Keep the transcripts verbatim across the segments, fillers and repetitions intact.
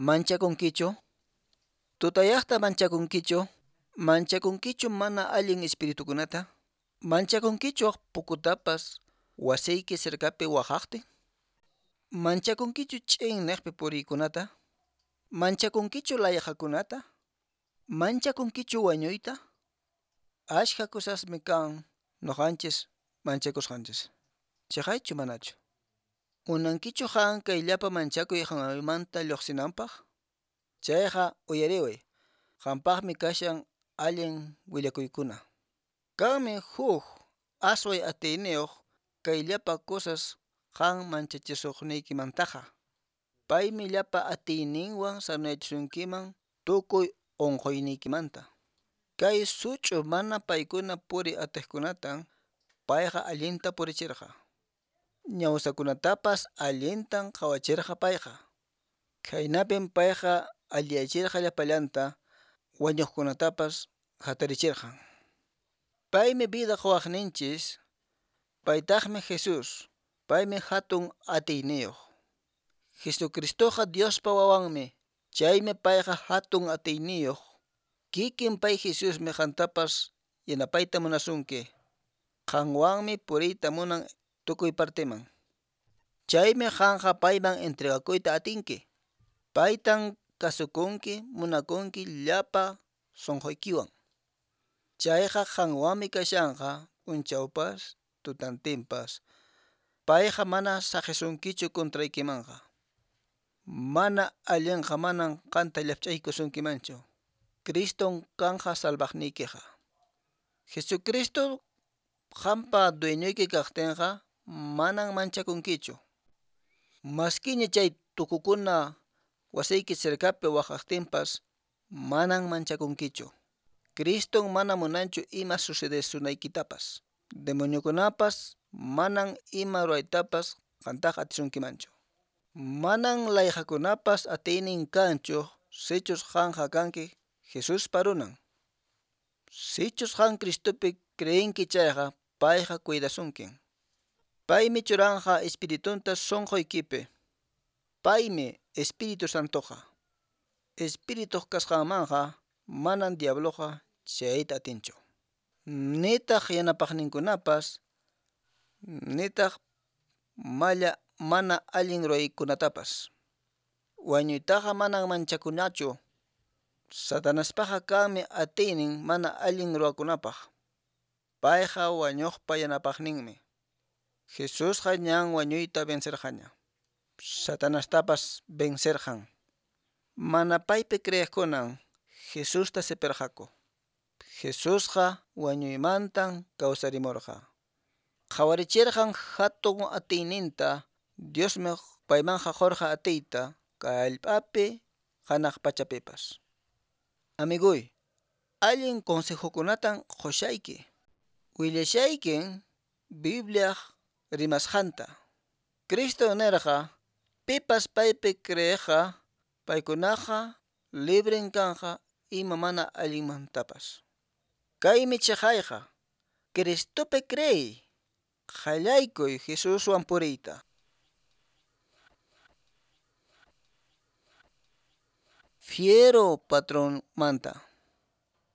Manchakunkichu? Tutayaqta manchakunkichu? Manchakunkichu mana allin espiritukunata? Manchakunkichu pukutapas wasiyki cercapi waqaqtin? Manchakunkichu ch'inneqpi puriykunata? Manchakunkichu layqakunata? Manchakunkichu wañuyta? Ashka cosasmi kan nuqanchis manchakusqanchis. Chaqaychu manachu? Munankichu qan kay llapa manchakuy qanmanta lluqsinanpaq? Chayqa uyariway, qampaqmi kashan allin willakuykuna. Kanmi huk asway atiyniyuq kay llapa cosas qan manchachisuqniykimantaqa. Paymi llapa atiyninwan sanoyachisunkiman tukuy unquyniykimanta. Kay such'u mana paykuna puriy atiqkunatan payqa allinta purichirqa. Ñawsakunatapas allintan qhawachirqa payqa. Khaynapin payqa alliyachirqa llapallanta, wañuqkunatapas hatarichirqan. Paymi vida quwaqninchis, paytaqmi Jesús, paymi hatun atiyniyuq. Jesucristoqa Diospa wawanmi, chaymi payqa hatun atiyniyuq. Kikin pay Jesusmi qantapas yanapayta munasunki. Qanwanmi puriyta munan tukuy partiman. Chaymi qanqa payman entregakuyta atinki. Paytan kasukunki, munakunki llapa sunquykiwan. Chayqa qanwanmi kashanqa p'unchawpas tutantinpas. Payqa mana saqisunkichu contraykimanqa. Mana allinqa manan qanta llapch'aykusunkimanchu. Criston kanqa salvaqniykiqa. Jesucristo qanpa dueñoyki kaqtinqa manan manchakunkichu. Maskiña chay tukukuna wasiyki cercapi waqaqtinpas manan manchakunkichu. Criston mana munanchu ima sucedesunaykitapas. Demoniokunapas manan ima ruwaytapas qantaqa atisunkimanchu. Manan layqakunapas atiynin kanchu sichus qanqa kanki Jesuspa runan. Sichus qan Cristopi creenki chayqa payqa cuidasunkin. Paymi churanqa espiritunta sunquykipi. Paymi Espíritu Santoqa. Espirituq kasqanmanqa manan diabloqa chayta atinchu. Nitaq yanapaqninkunapas, nitaq malla mana allin ruwaykunatapas. Wañuytaqa manan manchakunachu. Satanaspaqa kanmi atiynin mana allin ruwakunapaq. Payqa wañuqpa yanapaqninmi. Jesusqa ñan wañuyta vencerqaña. Satanastapas vencerqan. Mana paypi creeqkunan Jesusta sipirqaku. Jesusqa wañuymantan kawsarimurqa. Qhawarichirqan hatun atiyninta, Diosmi paymanqa qurqa atiyta kay hallp'api hanaq pachapipas. Amiguy, allin consejokunatan qushayki. Willashaykin Bibliaq rimasqanta. Cristo nirqa pipas paypi creeqqa paykunaqa libren kanqa ima mana allinmantapas. Kaymi chaqayqa, Cristopi creey, qallaykuy Jesuswan puriyta. Fiero patronmanta.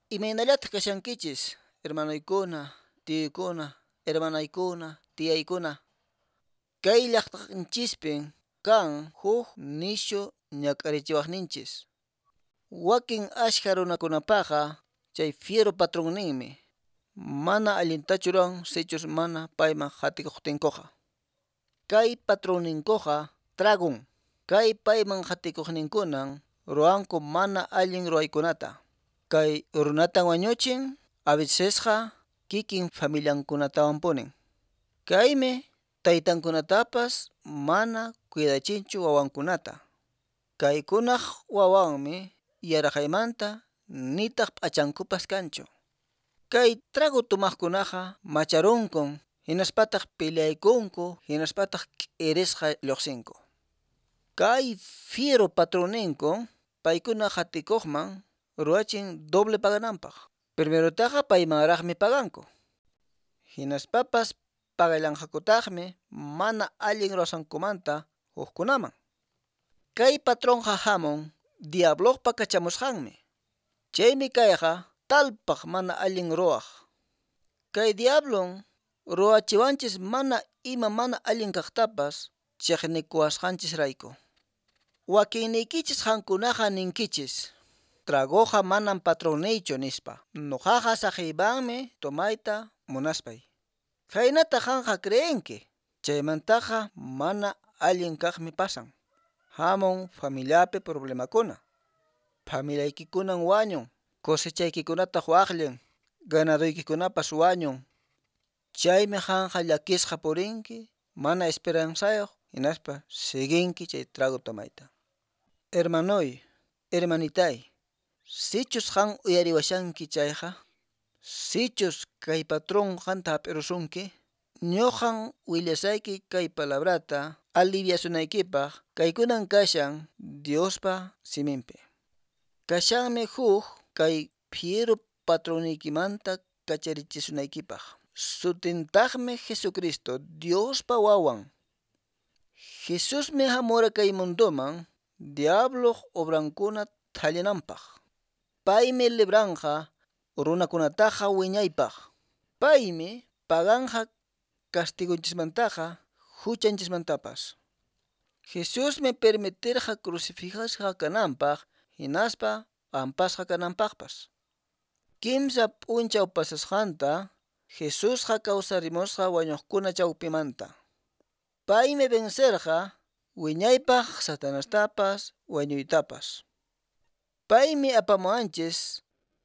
Imaynallataq kashankichis, hermanoykuna, tiyuykuna, hermanaykuna, tiyaykuna. Kay llaqtanchispin kan huk nishu ñak'arichiwaqninchis. Wakin ashka runakunapaqa chay fiero patronninmi mana allintachu ruwan sichus mana payman qatikuqtinkuqa. Kay patronninkuqa tragun. Kay payman qatikuqninkunan ruwanku mana allin ruwaykunata. Kay runatan wañuchin a vecesqa kikin familiankunatawanpunin. Kaymi taytankunatapas mana cuidachinchu wawankunata. Kaykunaq wawanmi yaraqaymanta nitaq p'achankupas kanchu. Kay trago tomaqkunaqa macharunkun hinaspataq peleaykunku hinaspataq k'irisqa lluqsinku. Kay fiero patronninku paykuna qatikuqman ruwachin doble pagananpaq. Primerotaqa paymanraqmi paganku. Hinaspapas pagallanqakutaqmi mana allin ruwasqankumanta hukkunaman. Kay patronqa hamun Diabloqpa kachamusqanmi. Chaymi kayqa talpaq mana allin ruwaq. Kay diablon ruwachiwanchis mana ima mana allin kaqtapas chiqnikuwasqanchisrayku. Wakinniykichis qankunaqa ninkichis, Tragoqa manan patronniychu nispa. Nuqaqa saqiymanmi tomayta munaspay. Khaynata qanqa creenki. Chaymantaqa mana allin kaqmi pasan. Hamun familiapi problemakuna. Familiaykikunan wañun, cosechaykikunataq waqllin, ganadoykikunapas wañun. Chaymi qanqa llakisqa purinki, mana esperanzayuq, hinaspa siguinki chay trago tomayta. Hermanoy, hermanitay, sichus qan uyariwashanki chayqa, sichus kay patrón qanta hap'irusunki, ñuqan willasayki kay palabrata aliviasunaykipaq, kaykunan kashan Diospa siminpi. Kashanmi huk kay fiero patronniykimanta kacharichisunaykipaq. Sutintaqmi Jesucristo, Diospa wawan. Jesusmi hamura kay mundoman diabloq obrankuna thallinanpaq. Paymi libranqa runakunataqa wiñaypaq. Paymi paganqa castigonchismantaqa huchanchismantapas. Jesusmi permitirqa crucificasqa kananpaq hinaspa p'ampasqa kananpaqpas. Kimsa p'unchaw pasasqanta Jesusqa kawsarimusqa wañuqkuna chawpimanta. Paymi vencerqa wiñaypaq Satanastapas wañuytapas. Paymi apamuwanchis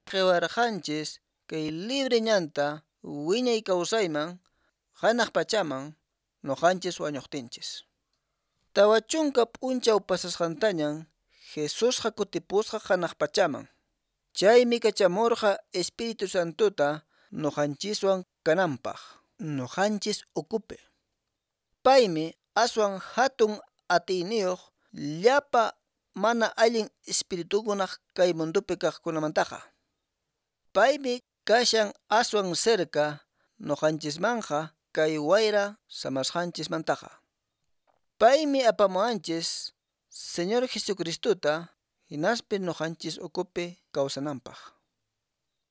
qhiwarqanchis kay libre ñanta wiñay kawsayman hanaq pachaman nuqanchis wañuqtinchis. Tawa chunka p'unchaw pasasqantañan Jesusqa kutipusqa hanaq pachaman. Chaymi kachamurqa Espíritu Santota nuqanchiswan kananpaq, nuqanchis ukupi. Paymi aswan hatun atiyniyuq llapa mana allin espiritukunaq kay mundopi kaqkunamantaqa. Paymi kashan aswan cerca nuqanchismanqa kay wayra samasqanchismantaqa. Paymi apamuwanchis Señor Jesucristota hinaspi nuqanchis ukupi kawsananpaq.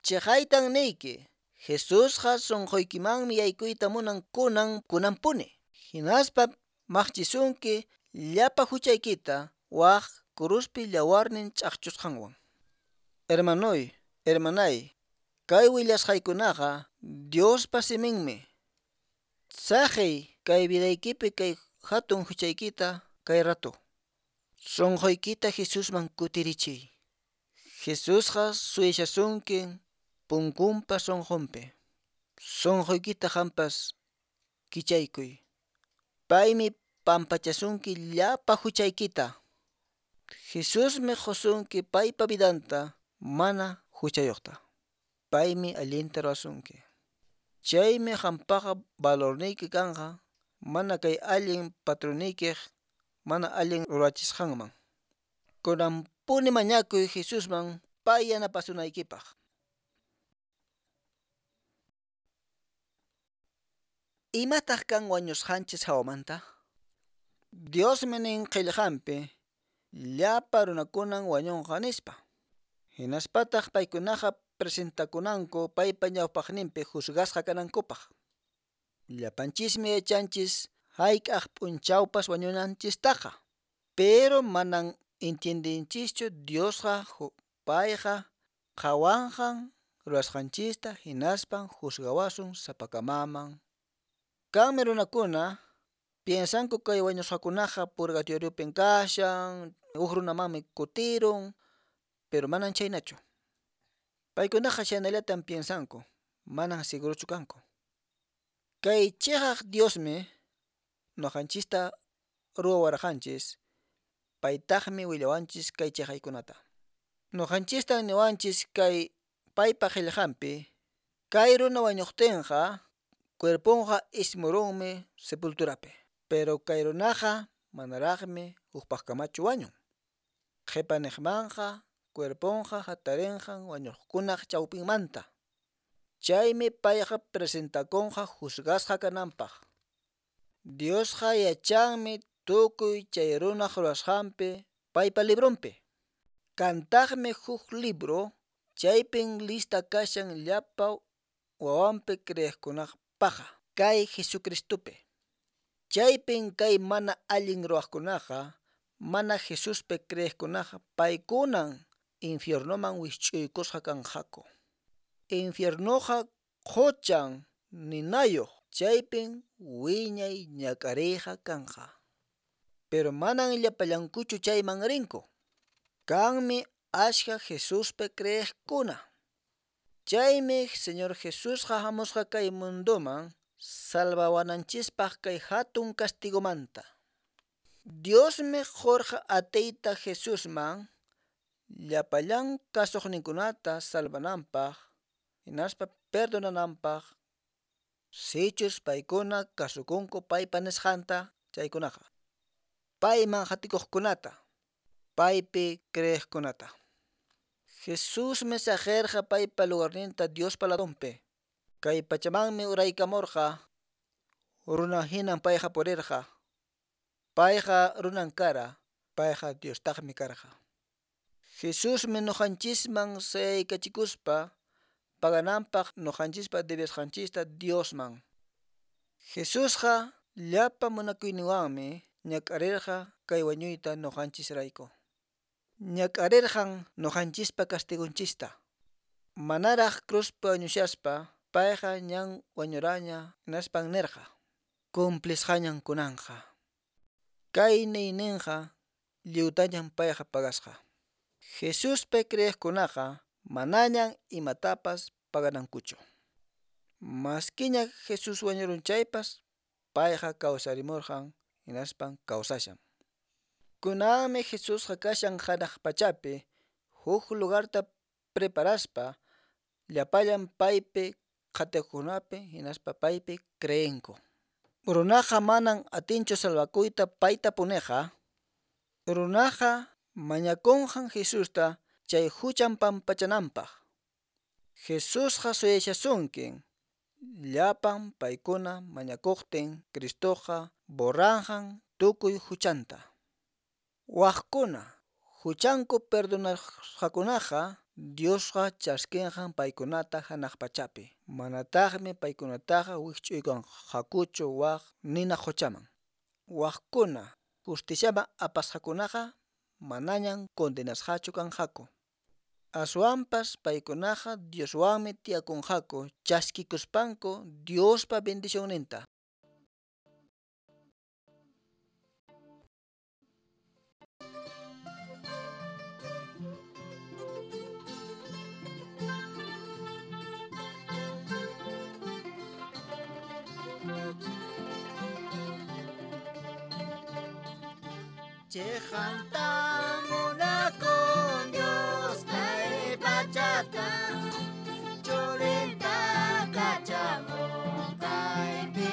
Chiqaytan niyki, Jesusqa sunquykimanmi yaykuyta munan kunan kunanpuni. Hinaspa maqchisunki llapa huchaykita waq kuruspi llawarnin ch'aqchusqanwan. Hermanoy, hermanay, kay willasqaykunaqa Diospa siminmi. Saqiy kay vidaykipi kay hatun huchaykita kay rato. Sunquykita Jesusman kutirichiy. Jesusqa suyashasunki punkunpa sunqunpi. Sunquykita qampas kichaykuy. Paymi pampachasunki llapa huchaykita. Jesusmi qusunki paypa vidanta mana huchayuqta. Paymi allinta ruwasunki. Chaymi qampaqa valorniyki kanqa mana kay allin patronniykiq mana allin ruwachisqanman. Kunanpuni mañakuy Jesusman pay yanapasunaykipaq. Imataq kan wañusqanchis hawamanta? Diosmi nin qillqanpi llapa runakunan wañunqa nispa. Hinaspataq paykunaqa presentakunanku paypa ñawpaqninpi juzgasqa kanankupaq. Llapanchismi yachanchis hayk'aq p'unchawpas wañunanchistaqa. Pero manan entiendenchischu Diosqa payqa qhawanqan ruwasqanchista hinaspan juzgawasun sapakamaman. Kanmi runakuna piensanku kay wañusqakunaqa purgatoriopin kashan, huk runamanmi kutirun, pero manan chhaynachu. Paykunaqa chhaynallatan piensanku, manan segurochu kanku. Kay chiqaq Diosmi nuqanchista ruwawarqanchis, paytaqmi willawanchis kay chiqaykunata. Nuqanchistan niwanchis kay paypa qillqanpi, kay runa wañuqtinqa cuerponqa ismurunmi sepulturapi, pero kay runaqa manaraqmi hukpaqkamachu wañun. Qhipaniqmanqa cuerponqa hatarinqan wañuqkunaq chawpinmanta. Chaymi payqa presentakunqa juzgasqa kananpaq. Diosqa yachanmi tukuy chay runaq ruwasqanpi paypa libronpi. Kantaqmi huk libro, chaypin lista kashan llapa wawanpi creeqkunapaqqa, kay Jesucristopi. Chaypin kay mana allin ruwaqkunaqa, mana Jesuspi creeqkunaqa, paykunan infiernoman wikch'uykusqa kanqaku. Infiernoqa quchan ninayuq, chaypin wiñay ñak'ariyqa kanqa. Pero manan llapallankuchu chayman rinku. Kanmi askha Jesuspi creeqkuna. Chaymi Señor Jesusqa hamusqa kay mundoman salvawananchispaq kay hatun castigomanta. Diosmi qurqa atiyta Jesusman llapallan kasuqninkunata salvananpaq, hinaspa perdonananpaq, sichus paykuna kasukunku paypa nisqanta chaykunaqa. Payman qatikuqkunata, paypi creeqkunata. Jesusmi saqirqa paypa lugarninta Diospa ladonpi. Kay pachamanmi uraykamurqa, runa hinan payqa purirqa. Payqa runan kara, payqa Diostaqmi karqa. Jesusmi nuqanchisman sayaykachikuspa pagananpaq nuqanchispa debesqanchista Diosman. Jesusqa llapa munakuyninwanmi ñak'arirqa kay wañuyta nuqanchisrayku. Ñak'arirqan nuqanchispa castigunchista. Manaraq cruzpi wañushaspa payqa ñan wañuraña hinaspan nirqa: Cumplisqañan kunanqa. Kay niyninqa lliwtañan payqa pagasqa. Jesuspi creeqkunaqa manañan imatapas paganankuchu. Maskiña Jesús wañurun chaypas, payqa kawsarimurqan hinaspan kawsashan. Kunanmi Jesusqa kashan hanaq pachapi huk lugarta preparaspa llapallan paypi qatikuqkunapi hinaspa paypi creenku. Runaqa manan atinchu salvakuyta paytapuniqa. Runaqa mañakunqan Jesusta chay huchan pampachananpaq. Jesusqa suyashasunkin llapan paykuna mañakuqtin Cristoqa borranqan tukuy huchanta. Waqkuna huchanku perdonasqakunaqa Diosqa chaskinqan paykunata hanaq pachapi. Manataqmi paykunataqa wikch'uykanqakuchu waq nina quchaman. Waqkuna justiciaman apasqakunaqa manañan condenasqachu kanqaku. Aswanpas paykunaqa Dioswanmi tiyakunqaku chaskikuspanku Diospa bendicionninta. Chejanta munakun Dios kay pachata, churinta kachamun kaypi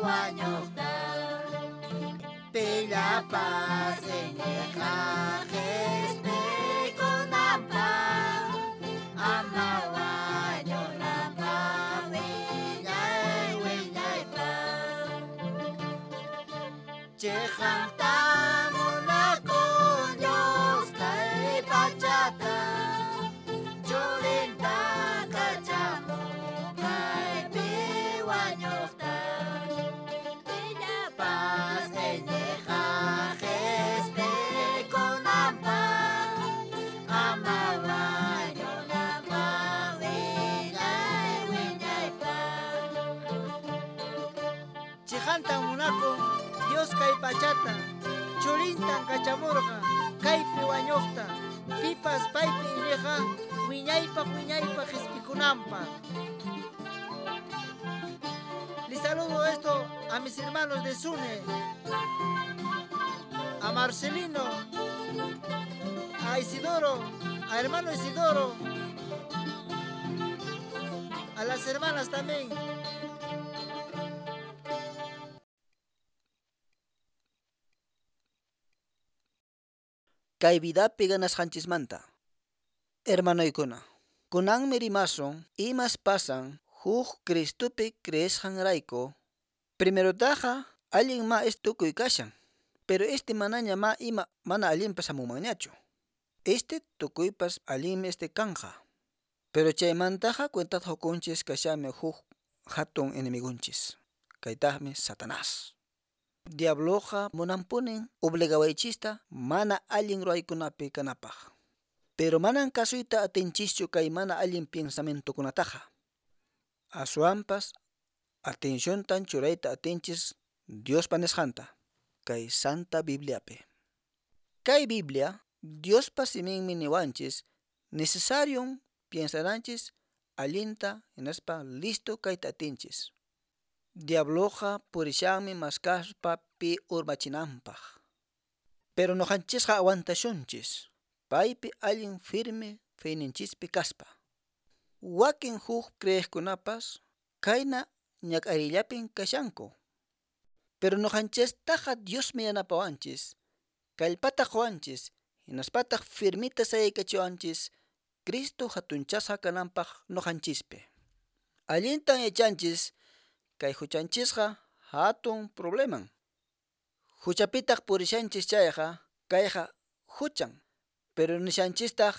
wañuqta. Pillapas iñiqqa qhispikunanpaq, ama wañunanpaq wiñay wiñaypaq. Chejanta munakun Dios kay pachata, churinta kachamun kaypi wañuqta. Pillapas iñiqqa qhispikunanpaq, ama wañunanpaq wiñay wiñaypaq. Chejanta munakun Dios kay pachata, churintan kachamurqa kaypi wañuqta, pipas paypi iñiqqa wiñaypaq wiñaypaq qhispikunanpaq. Les saludo esto a mis hermanos de Sune, a Marcelino, a Isidoro, a hermano Isidoro, a las hermanas también. Kay vidapi ganasqanchismanta. Hermanoykuna, kunanmi rimasun imas pasan huk Cristopi creesqanrayku. Primerotaqa allin ma es tukuy kashan, pero este manaña ma ima mana allinpas hamunmanñachu. Este tukuypas allinmi este kanja. Pero chaymantaqa cuentata qukunchis kashami huk hatun enemigunchis. Kaytaqmi Satanás. Diabloqa munanpunin obligawaychista mana allin ruwaykunapi kanapaq. Pero manan kasuyta atinchischu kay mana allin pensamientokunataqa. Aswanpas atenciontan churayta atinchis Diospa nisqanta kay Santa Bibliapi. Kay Biblia Diospa siminmi niwanchis necesarion piensananchis allinta hinaspa listo kayta atinchis. Diabloqa purishanmi maskaspa pi urmachinanpaq. Pero nuqanchisqa aguantashunchis paypi allin firme feyninchispi kaspa. Wakin huk creeqkunapas kayna ñak'ariyllapin kashanku. Pero nuqanchistaqa Diosmi yanapawanchis, kallpata quwanchis, hinaspataq firmita sayaykachiwanchis Cristo hatunchasqa kananpaq nuqanchispi. Allintan yachanchis kay huchanchisqa hatun probleman. Huchapitaq purishanchis chayqa kayqa huchan, pero nishanchistaq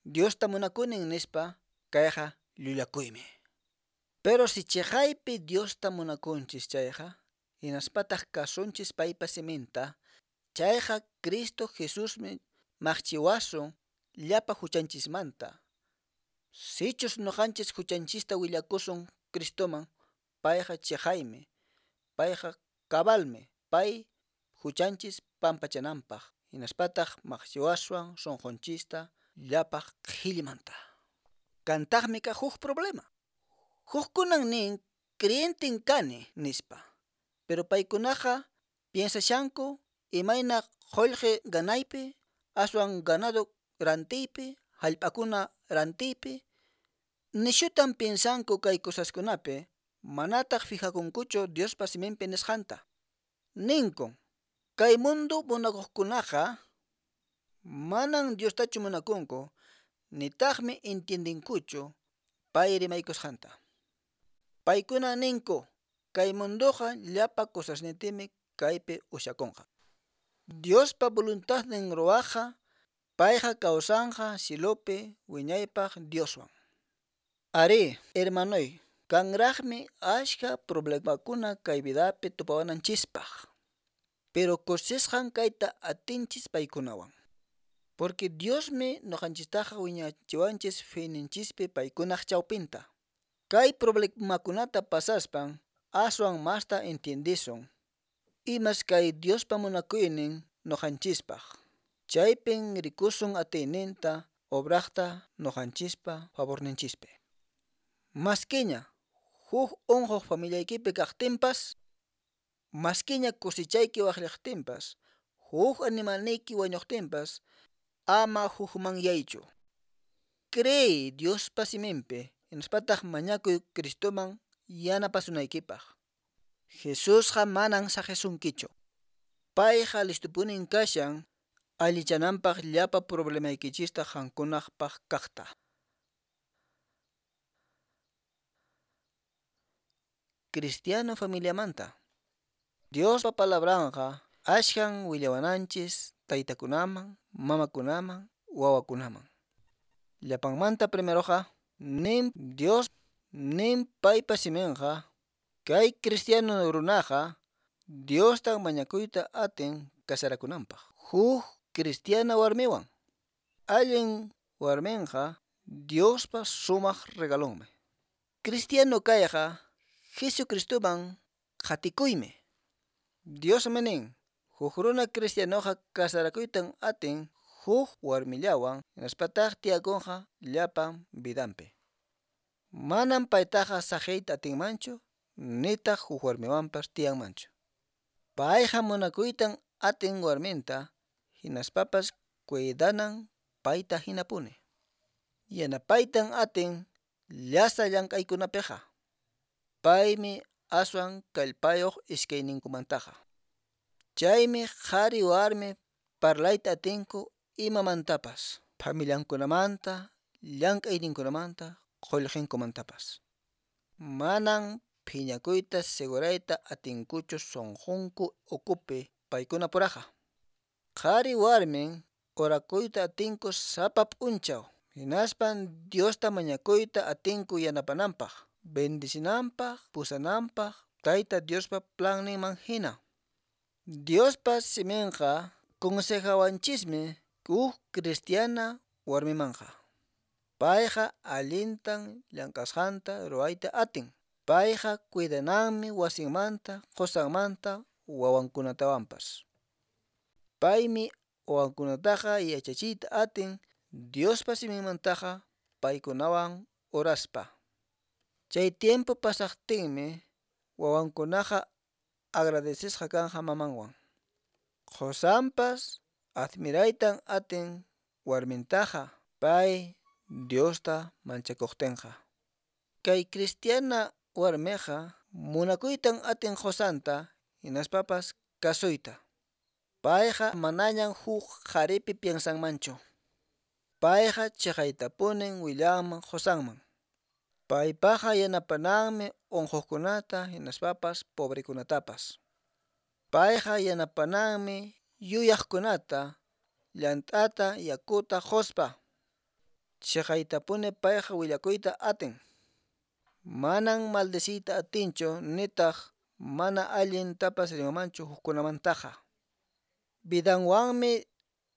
Diosta munakunin nispa kayqa llullakuymi. Pero si chiqaypi Diosta munakunchis chayqa, hinaspataq kasunchis paypa siminta, chayqa Cristo Jesusmi maqchiwasun llapa huchanchismanta. Sichus nuqanchis huchanchista willakusun Cristoman, payqa chiqaymi, payqa cabalmi, pay huchanchis pampachananpaq, hinaspataq maqchiwaswan sunqunchista llapa qhillimanta. Kantaqmi ka huk problema. Hukkunan nin creyenten kani nispa. Pero paykunaqa piensashanku imayna qullqi ganaypi, aswan ganado rantiypi, hallp'akuna rantiypi. Nishutan piensanku kay cosaskunapi, manataq fijakunkuchu Diospa siminpi nisqanta. Ninkun, kay mundo munakuqkunaqa manan Diostachu munakunku, nitaqmi entiendenkuchu pay rimaykusqanta. Paykuna ninku, kay mundoqa llapa cosasnintimi kaypi ushakunqa. Diospa voluntadnin ruwaqqa, payqa kawsanqa cielopi wiñaypaq Dioswan. Ari, hermanoy, kanraqmi ashka problemakuna kay vidapi tupawananchispaq. Pero kusisqan kayta atinchis paykunawan. Porque Diosmi nuqanchistaqa wiñachiwanchis feyninchispi paykunaq chawpinta. Kay problemakunata pasaspan aswan masta entiendisun. Imas kay Diospa munakuynin nuqanchispaq. Chaypin rikusun atiyninta obraqta nuqanchispa favorninchispi. Maskiña huk unquq familiaykipi kaqtinpas, maskiña cosechayki waqllaqtinpas, huk animalniyki wañuqtinpas, ama hukmanyaychu. Creey Diospa siminpi, hinaspataq mañakuy Cristoman yanapasunaykipaq. Jesusqa manan saqisunkichu. Payqa listupunin kashan allichananpaq llapa problemaykichista qankunaqpaq kaqta. Cristiano familiamanta. Diospa palabranqa ashkan willawananchis taytakunaman, mamakunaman, wawakunaman. Llapanmanta primeroqa nin Dios nin paypa siminqa kay cristiano runaqa Diosta mañakuyta atin kasarakunanpaq. Huk cristiana warmiwan. Allin warminqa Diospa sumaq regalonmi. Cristiano kayqa Jesucristoman qatikuymi. Diosmi nin, huk runa cristianoqa kasarakuytan atin huk warmillawan hinaspataq tiyakunqa llapan vidanpi. Manam paytaqa saqiyta atinmanchu, nitaq huk warmiwanpas tiyanmanchu. Payqa munakuytan atin warminta, hinaspapas cuidanan payta hinapuni. Yanapaytan atin llasa llank'aykunapiqa. Paymi aswan kallpayuq iskayninkumantaqa. Chaymi qhari warmi parlayta atinku imamantapas, familiankunamanta, llank'ayninkunamanta, qullqinkumantapas. Manan phiñakuyta segurayta atinkuchu sunqunku ukupi paykuna puraqa. Qhari warmin orakuyta atinku sapa p'unchaw. Hinaspan Diosta mañakuyta atinku yanapananpaq, bendicinanpaq, pusananpaq, Tayta Diospa planninman hina. Diospa siminqa consejawanchismi huk cristiana warmimanqa. Payqa allintan llank'asqanta ruwayta atin. Payqa cuidananmi wasinmanta, qusanmanta, wawankunatawanpas. Paymi wawankunataqa yachachiyta atin Diospa siminmantaqa paykunawan oraspa. Chay tiempo pasaqtinmi wawankunaqa agradecesqa kanqa mamanwan. Qusanpas admiraytan atin warmintaqa pay Diosta manchakuqtinqa. Kay cristiana warmiqa munakuytan atin qusanta hinaspapas kasuyta. Payqa manañan huk qharipi piensanmanchu. Payqa chiqaytapunin willanman qusanman. Paypaqa yanapananmi unquqkunata hinaspapas pobrekunatapas. Payqa yanapananmi yuyaqkunata llant'ata yakuta quspa. Chiqaytapuni payqa willakuyta atin. Manan maldeciyta atinchu nitaq mana allintapas rimamanchu hukkunamantaqa. Vidanwanmi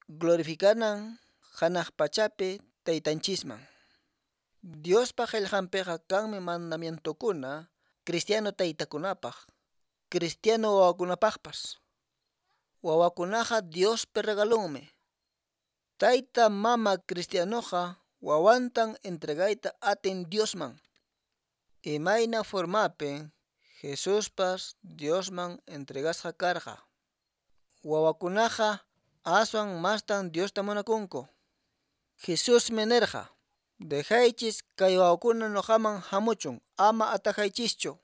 glorificanan hanaq pachapi taytanchisman. Diospa qillqanpiqa kanmi mandamientokuna cristiano taytakunapaq, cristiano wawakunapaqpas. Wawakunaqa Diospa regalonmi. Tayta mama cristianoqa wawantan entregayta atin Diosman. Imayna formapin Jesuspas Diosman entregasqa karqa. Wawakunaqa aswan mastan Diosta munakunku. Jesusmi nirqa: Dejaychis kay wawakuna nuqaman hamuchun, ama atajaychischu.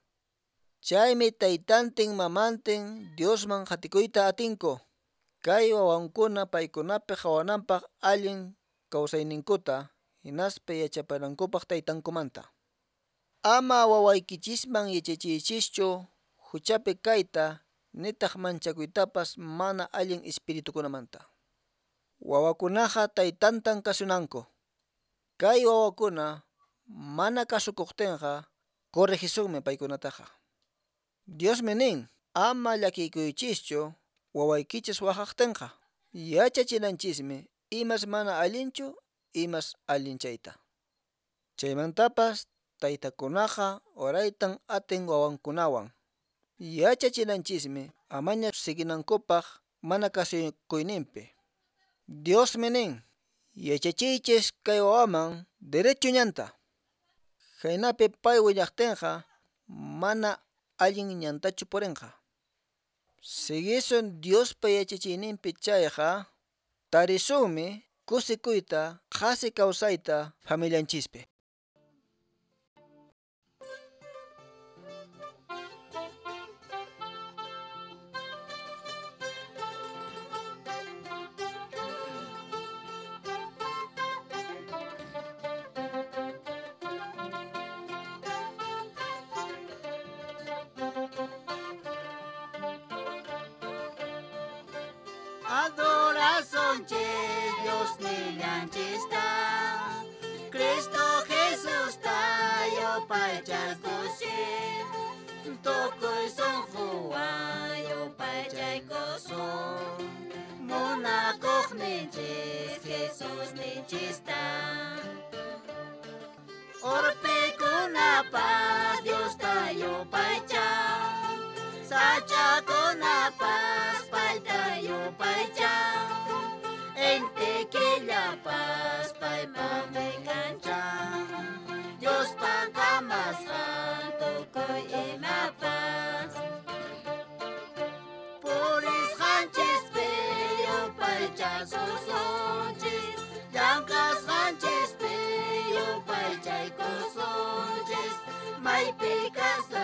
Chaymi taytantin mamantin Diosman qatikuyta atinku. Kay wawankuna paykunapi qhawananpaq allin kawsayninkuta hinaspa yachapanankupaq taytankumanta. Ama wawaykichisman yachachiychischu huchapi kayta nitaq manchakuytapas mana allin espiritukunamanta. Wawakunaqa taytantan kasunanku. Kay wawakuna mana kasukuqtinqa corregisunmi paykunataqa. Diosmi nin, ama llakikuychischu wawaykichis waqaqtinqa. Yachachinanchismi imas mana allinchu, imas allin chayta. Chaymantapas taytakunaqa oraytan atin wawankunawan. Yachachinanchismi amaña siguinankupaq mana kasukuyninpi. Diosmi nin, yachachiychis kay wawaman derecho ñanta. Khaynapi pay willaqtinqa mana allin ñantachu purinqa. Siguisun Diospa yachachiyninpi chayqa tarisunmi kusikuyta qhasi kawsayta familianchispi. Adorazonchis Dios nillanchista, Cristo Jesús tayo paychaskushi, tukuy sunquwan yupaychaykusun, munakuqninchis Jesús ninchista. Urpikunapas Dios tayo paychan, sachakunapas payta yupaychan, inti killapas paypaqmi kanchan, Diospa kamasqan tukuy imapas. Purisqanchispi yupaychasusunchis, llank'asqanchispi yupaychaykusunchis, maypi kaspa